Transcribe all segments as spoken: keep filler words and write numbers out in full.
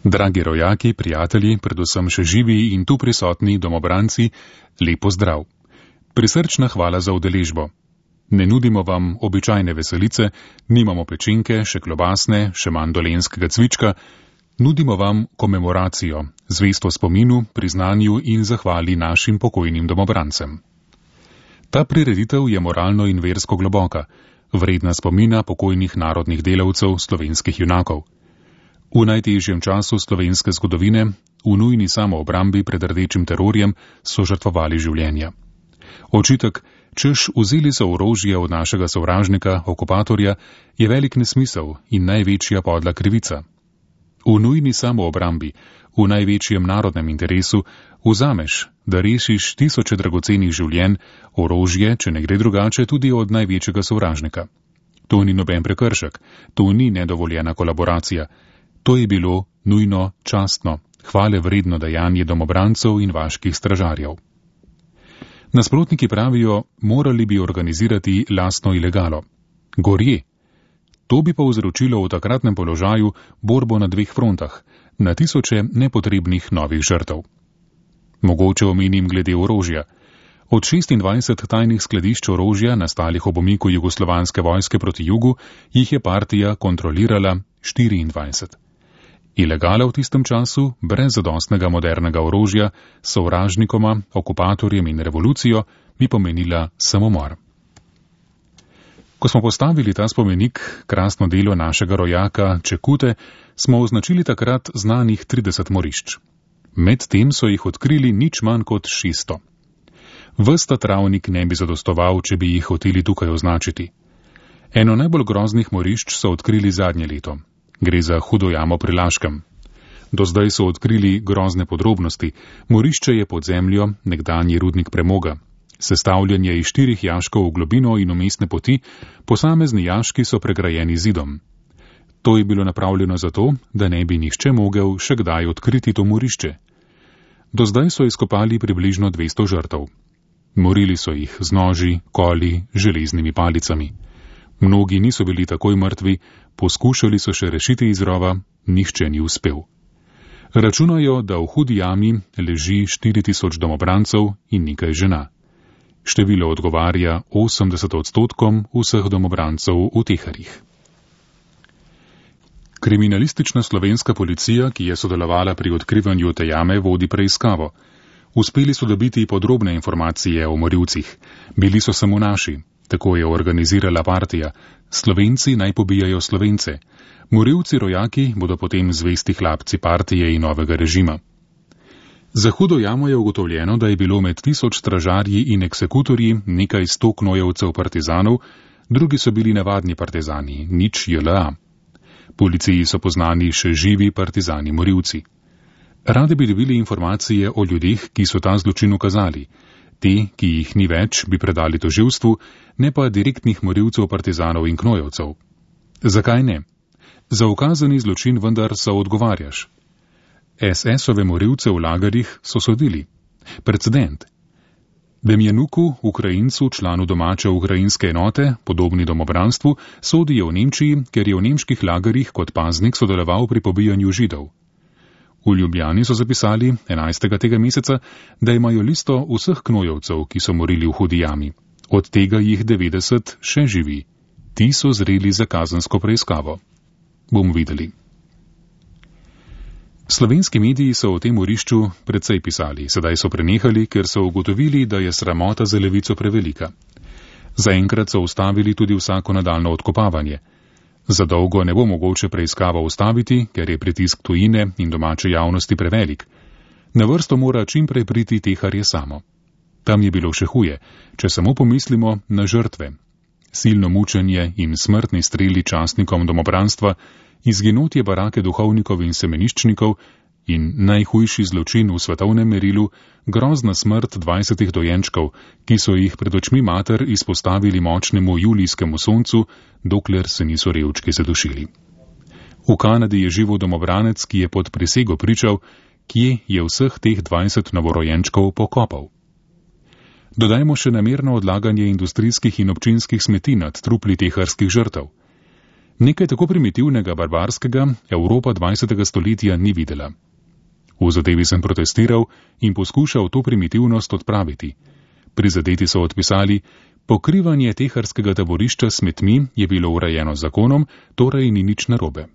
Dragi rojaki, prijatelji, predvsem še živi in tu prisotni domobranci, lepo zdrav. Prisrčna hvala za udeležbo. Ne nudimo vam običajne veselice, nimamo pečenke, še klobasne, še manj dolenskega cvička, nudimo vam komemoracijo, zvesto spominu, priznanju in zahvali našim pokojnim domobrancem. Ta prireditev je moralno in versko globoka, vredna spomina pokojnih narodnih delavcev, slovenskih junakov. V najtežjem času slovenske zgodovine, v nujni samoobrambi pred rdečim terorjem, so žrtvovali življenja. Očitek, češ vzeli so orožje od našega sovražnika, okupatorja, je velik nesmisel in največja podla krivica. V nujni samoobrambi, v največjem narodnem interesu, vzameš, da rešiš tisoče dragocenih življenj, orožje, če ne gre drugače, tudi od največjega sovražnika. To ni noben prekršek, to ni nedovoljena kolaboracija. To je bilo nujno, častno, hvale vredno dejanje domobrancev in vaških stražarjev. Nasprotniki pravijo, morali bi organizirati lastno ilegalo. Gorje. To bi povzročilo v takratnem položaju borbo na dveh frontah, na tisoče nepotrebnih novih žrtev. Mogoče omenim glede orožja. Od šestindvajset tajnih skladišč orožja, nastalih ob umiku jugoslovanske vojske proti jugu, jih je partija kontrolirala štiriindvajset. Ilegala v tistem času, brez zadostnega modernega orožja, sovražnikoma, okupatorjem in revolucijo, bi pomenila samomor. Ko smo postavili ta spomenik, krasno delo našega rojaka Čekute, smo označili takrat znanih trideset morišč. Medtem so jih odkrili nič manj kot šeststo. Ves ta travnik ne bi zadostoval, če bi jih hoteli tukaj označiti. Eno najbolj groznih morišč so odkrili zadnje leto. Gre za Hudo jamo pri Laškem. Do zdaj so odkrili grozne podrobnosti. Morišče je pod zemljo, nekdanji rudnik premoga. Sestavljen je iz štirih jaškov v globino in umestne poti, posamezni jaški so pregrajeni zidom. To je bilo napravljeno zato, da ne bi nihče mogel še kdaj odkriti to morišče. Do zdaj so izkopali približno dvesto žrtev. Morili so jih z noži, koli, železnimi palicami. Mnogi niso bili takoj mrtvi, poskušali so še rešiti iz rova, nihče ni uspel. Računajo, da v Hudi jami leži štiri tisoč domobrancev in nekaj žena. Število odgovarja osemdeset odstotkom vseh domobrancev v Teharjih. Kriminalistična slovenska policija, ki je sodelovala pri odkrivanju te jame, vodi preiskavo. Uspeli so dobiti podrobne informacije o morilcih. Bili so samo naši. Tako je organizirala partija. Slovenci naj pobijajo Slovence. Morilci rojaki bodo potem zvesti hlapci partije in novega režima. Za Hudo jamo je ugotovljeno, da je bilo med tisoč stražarji in eksekutorji nekaj sto knojevcev partizanov, drugi so bili navadni partizani, nič J L A. Policiji so poznani še živi partizani morilci. Radi bi dobili informacije o ljudeh, ki so ta zločin ukazali. Te, ki jih ni več, bi predali tožilstvu, ne pa direktnih morilcev partizanov in knojevcev. Zakaj ne? Za ukazani zločin vendar so odgovarjaš. S S-ove morilce v lagerjih so sodili. Precedent. Demjanuku, Ukrajincu, članu domače ukrajinske enote, podobni domobranstvu, sodijo v Nemčiji, ker je v nemških lagerjih kot paznik sodeloval pri pobijanju Židov. V Ljubljani so zapisali, enajstega tega meseca, da imajo listo vseh knojevcev, ki so morili v Hudi jami. Od tega jih devetdeset še živi. Ti so zreli za kazensko preiskavo. Bomo videli. Slovenski mediji so o tem morišču precej pisali, sedaj so prenehali, ker so ugotovili, da je sramota za levico prevelika. Zaenkrat so ustavili tudi vsako nadaljno odkopavanje. Za dolgo ne bo mogoče preiskavo ustaviti, ker je pritisk tujine in domače javnosti prevelik. Na vrsto mora čim prej priti Teharje samo. Tam je bilo še huje, če samo pomislimo na žrtve. Silno mučenje in smrtni streli častnikom domobranstva, izginotje barake duhovnikov in semeniščnikov in najhujši zločin v svetovnem merilu, grozna smrt dvajsetih dojenčkov, ki so jih pred očmi mater izpostavili močnemu julijskemu soncu, dokler se niso revčki zadušili. V Kanadi je živel domobranec, ki je pod prisego pričal, kje je vseh teh dvajset novorojenčkov pokopal. Dodajmo še namerno odlaganje industrijskih in občinskih smeti nad trupli teharskih žrtev. Nekaj tako primitivnega, barbarskega Evropa dvajsetega stoletja ni videla. V zadevi sem protestiral in poskušal to primitivnost odpraviti. Prizadeti so odpisali, pokrivanje teharskega taborišča s smetmi je bilo urejeno zakonom, torej ni nič narobe.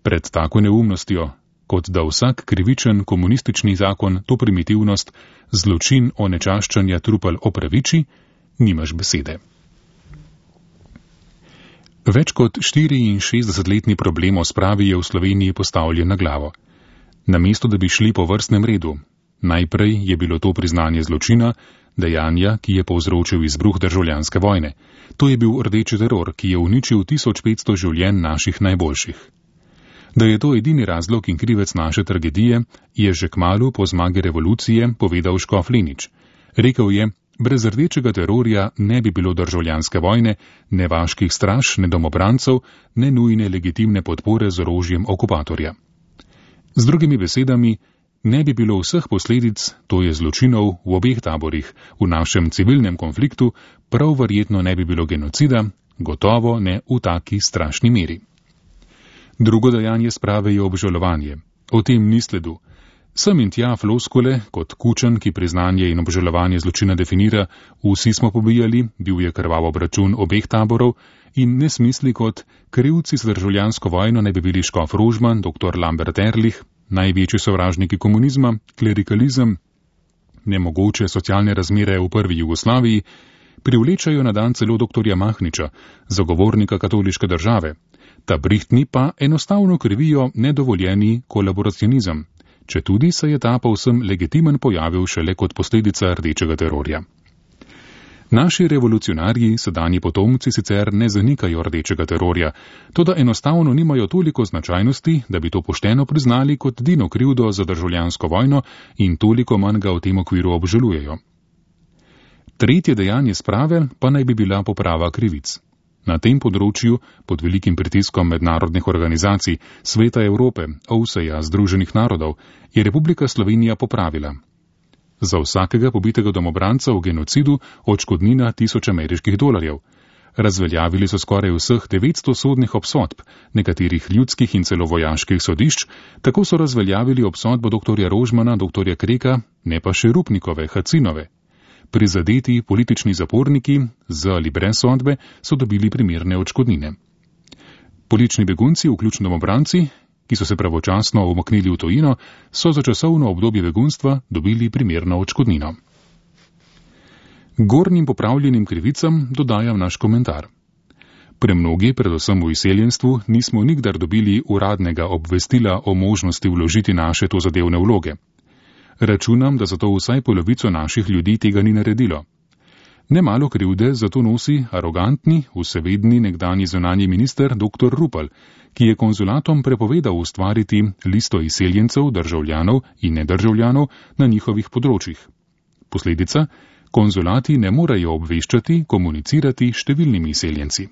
Pred tako neumnostjo, kot da vsak krivičen komunistični zakon to primitivnost, zločin onečaščanja trupel opraviči, nimaš besede. Več kot štiriinšestdesetletni problem o spravi je v Sloveniji postavljen na glavo. Namesto, da bi šli po vrstnem redu, najprej je bilo to priznanje zločina, dejanja, ki je povzročil izbruh državljanske vojne. To je bil rdeči teror, ki je uničil tisoč petsto življenj naših najboljših. Da je to edini razlog in krivec naše tragedije, je že kmalu po zmagi revolucije povedal škof Lenič. Rekel je, brez rdečega terorja ne bi bilo državljanske vojne, ne vaških straž, ne domobrancev, ne nujne legitimne podpore z orožjem okupatorja. Z drugimi besedami, ne bi bilo vseh posledic, to je zločinov v obeh taborih, v našem civilnem konfliktu, prav verjetno ne bi bilo genocida, gotovo ne v taki strašni meri. Drugo dejanje sprave je obžalovanje. O tem ni sledu. Sem in tja floskule, kot Kučan, ki priznanje in obžalovanje zločina definira, vsi smo pobijali, bil je krvav obračun obeh taborov in nesmisli kot krivci za državljansko vojno ne bi bili škof Rožman, doktor Lambert Ehrlich, največji sovražniki komunizma, klerikalizem, nemogoče socialne razmere v prvi Jugoslaviji, privlečajo na dan celo doktorja Mahniča, zagovornika katoliške države. Ta brihtni pa enostavno krivijo nedovoljeni kolaboracionizem, četudi se je ta povsem legitimen pojavil šele kot posledica rdečega terorja. Naši revolucionarji, sedanji potomci, sicer ne zanikajo rdečega terorja, toda enostavno nimajo toliko značajnosti, da bi to pošteno priznali kot edino krivdo za državljansko vojno in toliko manj ga v tem okviru obžalujejo. Tretje dejanje sprave pa naj bi bila poprava krivic. Na tem področju, pod velikim pritiskom mednarodnih organizacij, Sveta Evrope, O V S E-ja, Združenih narodov, je Republika Slovenija popravila. Za vsakega pobitega domobranca v genocidu odškodnina tisoč ameriških dolarjev. Razveljavili so skoraj vseh devetsto sodnih obsodb, nekaterih ljudskih in celo vojaških sodišč, tako so razveljavili obsodbo doktorja Rožmana, doktorja Kreka, ne pa še Rupnikove, Hacinove. Prizadeti politični zaporniki z ali brez sodbe so dobili primerne odškodnine. Politični begunci, vključno domobranci, ki so se pravočasno umaknili v tujino, so za časovno obdobje begunstva dobili primerno odškodnino. Gornjim popravljenim krivicam dodajam naš komentar. Premnogi, predvsem v izseljenstvu, nismo nikdar dobili uradnega obvestila o možnosti vložiti naše tozadevne vloge. Računam, da zato vsaj polovico naših ljudi tega ni naredilo. Nemalo krivde zato nosi arogantni, vsevedni nekdanji zunanji minister doktor Rupel, ki je konzulatom prepovedal ustvariti listo izseljencev, državljanov in nedržavljanov na njihovih področjih. Posledica: konzulati ne morejo obveščati, komunicirati s številnimi izseljenci.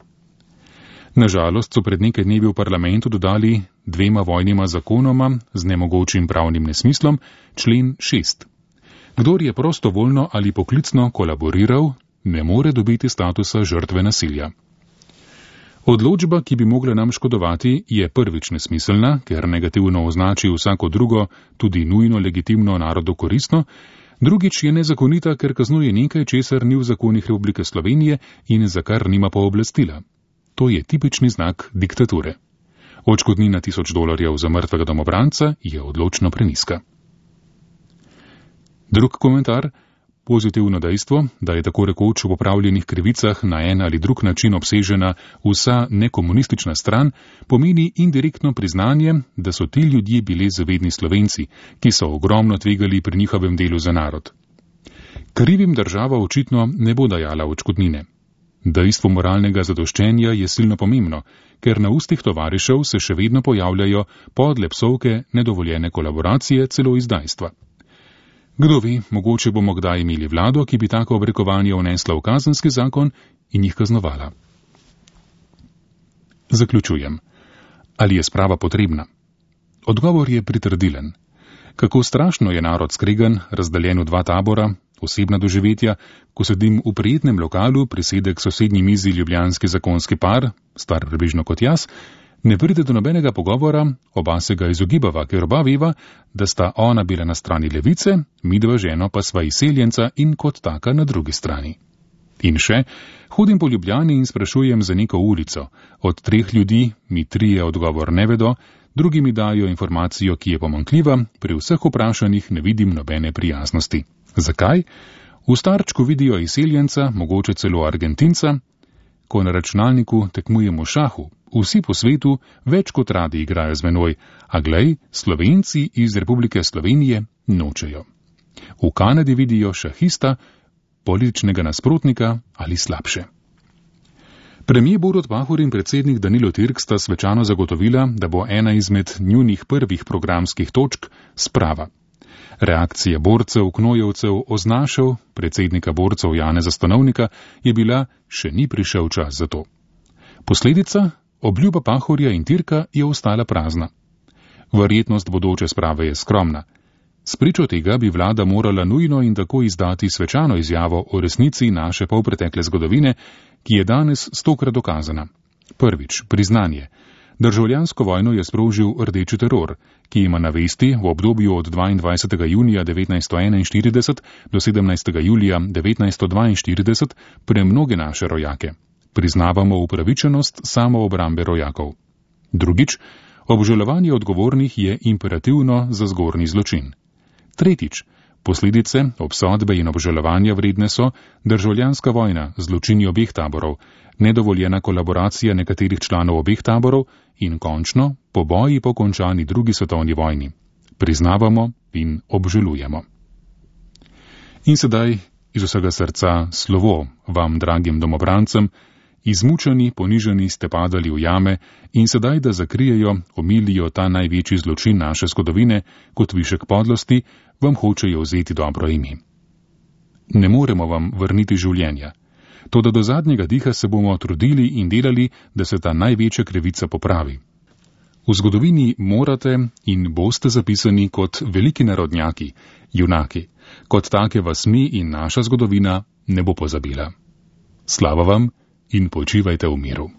Nažalost so pred nekaj dnevi v parlamentu dodali dvema vojnima zakonoma z nemogočim pravnim nesmislom člen šest. Kdor je prostovoljno ali poklicno kolaboriral, ne more dobiti statusa žrtve nasilja. Odločba, ki bi mogla nam škodovati, je prvič nesmiselna, ker negativno označi vsako drugo, tudi nujno legitimno narodu koristno, drugič je nezakonita, ker kaznuje nekaj, česar ni v zakonih Republike Slovenije in za kar nima pooblastila. To je tipični znak diktature. Odškodnina tisoč dolarjev za mrtvega domobranca je odločno preniska. Drug komentar: pozitivno dejstvo, da je tako rekoč v popravljenih krivicah na en ali drug način obsežena vsa nekomunistična stran, pomeni indirektno priznanje, da so ti ljudje bili zavedni Slovenci, ki so ogromno tvegali pri njihovem delu za narod. Krivim država očitno ne bo dajala odškodnine. Dejstvo moralnega zadoščenja je silno pomembno, ker na ustih tovarišev se še vedno pojavljajo podle psovke, nedovoljene kolaboracije, celo izdajstva. Kdo ve, mogoče bomo kdaj imeli vlado, ki bi tako obrekovanje vnesla v kazenski zakon in jih kaznovala. Zaključujem. Ali je sprava potrebna? Odgovor je pritrdilen. Kako strašno je narod skregan, razdeljen v dva tabora, osebna doživetja, ko sedim v prijetnem lokalu, prisede k sosednji mizi ljubljanski zakonski par, star približno kot jaz, ne pride do nobenega pogovora, oba se ga izogibava, ker oba veva, da sta ona bila na strani levice, midva ženo pa sva izseljenca in kot taka na drugi strani. In še, hodim po Ljubljani in sprašujem za neko ulico. Od treh ljudi mi trije odgovor ne vedo, drugi mi dajo informacijo, ki je pomanjkljiva, pri vseh vprašanjih ne vidim nobene prijaznosti. Zakaj? V starčku vidijo izseljenca, mogoče celo Argentinca. Ko na računalniku tekmujem v šahu, vsi po svetu več kot radi igrajo z menoj, a glej, Slovenci iz Republike Slovenije nočejo. V Kanadi vidijo šahista, političnega nasprotnika ali slabše. Premijer Borut Pahor in predsednik Danilo Türk sta svečano zagotovila, da bo ena izmed njunih prvih programskih točk sprava. Reakcija borcev, knojevcev, oznašev, predsednika borcev Janeza Stanovnika je bila, še ni prišel čas za to. Posledica? Obljuba Pahorja in Türka je ostala prazna. Verjetnost bodoče sprave je skromna. Spričo tega bi vlada morala nujno in tako izdati svečano izjavo o resnici naše polpretekle zgodovine, ki je danes stokrat dokazana. Prvič, priznanje. Državljansko vojno je sprožil rdeči teror, ki ima na vesti v obdobju od dvaindvajsetega junija devetnajststo enainštirideset do sedemnajstega julija devetnajststo dvainštirideset premnoge naše rojake. Priznavamo upravičenost samoobrambe rojakov. Drugič, obžalovanje odgovornih je imperativno za zgornji zločin. Tretjič, posledice, obsodbe in obžalovanja vredne so državljanska vojna, zločini obeh taborov, nedovoljena kolaboracija nekaterih članov obeh taborov in končno poboji po končani drugi svetovni vojni. Priznavamo in obžalujemo. In sedaj iz vsega srca slovo vam, dragim domobrancem, izmučeni, ponižani ste padali v jame in sedaj, da zakrijejo, omilijo ta največji zločin naše zgodovine kot višek podlosti, vam hočejo vzeti dobro ime. Ne moremo vam vrniti življenja, toda do zadnjega diha se bomo trudili in delali, da se ta največja krivica popravi. V zgodovini morate in boste zapisani kot veliki narodnjaki, junaki, kot take vas mi in naša zgodovina ne bo pozabila. Slava vam in počivajte v miru.